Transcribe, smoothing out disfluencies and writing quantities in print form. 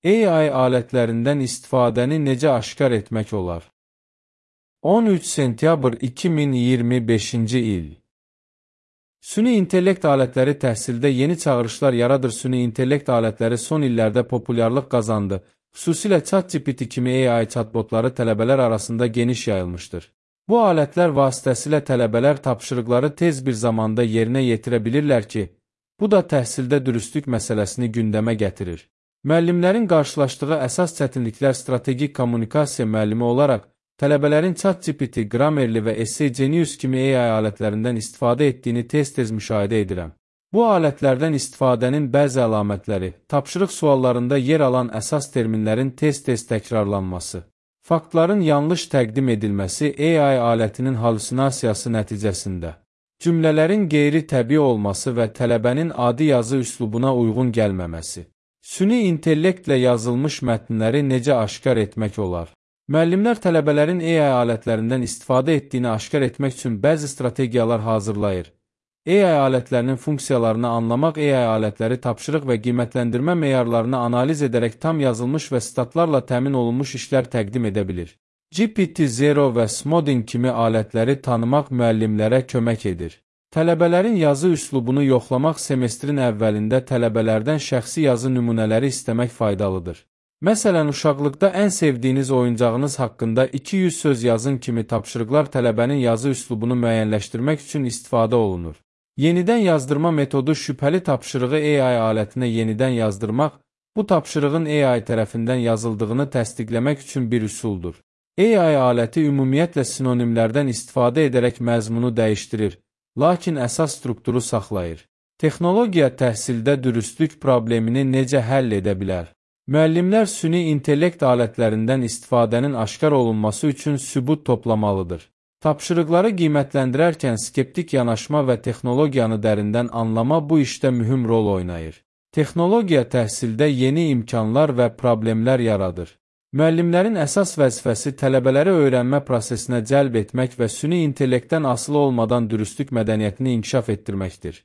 AI alətlərindən istifadəni necə aşkar etmək olar? 13 sentyabr 2025-ci il. Süni intellekt alətləri təhsildə yeni çağırışlar yaradır. Süni intellekt alətləri son illərdə populyarlıq qazandı. Xüsusilə ChatGPT kimi AI chatbotları tələbələr arasında geniş yayılmışdır. Bu alətlər vasitəsilə tələbələr tapşırıqları tez bir zamanda yerinə yetirə bilirlər ki, bu da təhsildə dürüstlük məsələsini gündəmə gətirir. Müəllimlərin qarşılaşdığı əsas çətinliklər strategik kommunikasiya müəllimi olaraq tələbələrin ChatGPT, Grammarly və Essay Genius kimi AI alətlərindən istifadə etdiyini tez-tez müşahidə edirəm. Bu alətlərdən istifadənin bəzi əlamətləri, tapşırıq suallarında yer alan əsas terminlərin tez-tez təkrarlanması, faktların yanlış təqdim edilməsi AI alətinin halüsinasiyası nəticəsində, cümlələrin qeyri-təbii olması və tələbənin adi yazı üslubuna uyğun gəlməməsi. Süni intellektlə yazılmış mətnləri necə aşkar etmək olar? Müəllimlər tələbələrin AI alətlərindən istifadə etdiyini aşkar etmək üçün bəzi strategiyalar hazırlayır. AI alətlərinin funksiyalarını anlamaq, AI alətləri tapşırıq və qiymətləndirmə meyarlarını analiz edərək tam yazılmış və statlarla təmin olunmuş işlər təqdim edə bilir. GPT-0 və Smodin kimi alətləri tanımaq müəllimlərə kömək edir. Tələbələrin yazı üslubunu yoxlamaq semestrin əvvəlində tələbələrdən şəxsi yazı nümunələri istəmək faydalıdır. Məsələn, uşaqlıqda ən sevdiyiniz oyuncağınız haqqında 200 söz yazın kimi tapşırıqlar tələbənin yazı üslubunu müəyyənləşdirmək üçün istifadə olunur. Yenidən yazdırma metodu şübhəli tapşırığı AI alətinə yenidən yazdırmaq, bu tapşırığın AI tərəfindən yazıldığını təsdiqləmək üçün bir üsuldur. AI aləti ümumiyyətlə sinonimlərdən istifadə edərək məzmunu dəyişdirir, lakin əsas strukturu saxlayır. Texnologiya təhsildə dürüstlük problemini necə həll edə bilər? Müəllimlər süni intellekt alətlərindən istifadənin aşkar olunması üçün sübut toplamalıdır. Tapşırıqları qiymətləndirərkən skeptik yanaşma və texnologiyanı dərindən anlama bu işdə mühüm rol oynayır. Texnologiya təhsildə yeni imkanlar və problemlər yaradır. Müəllimlərin əsas vəzifəsi tələbələri öyrənmə prosesinə cəlb etmək və süni intellektdən asılı olmadan dürüstlük mədəniyyətini inkişaf etdirməkdir.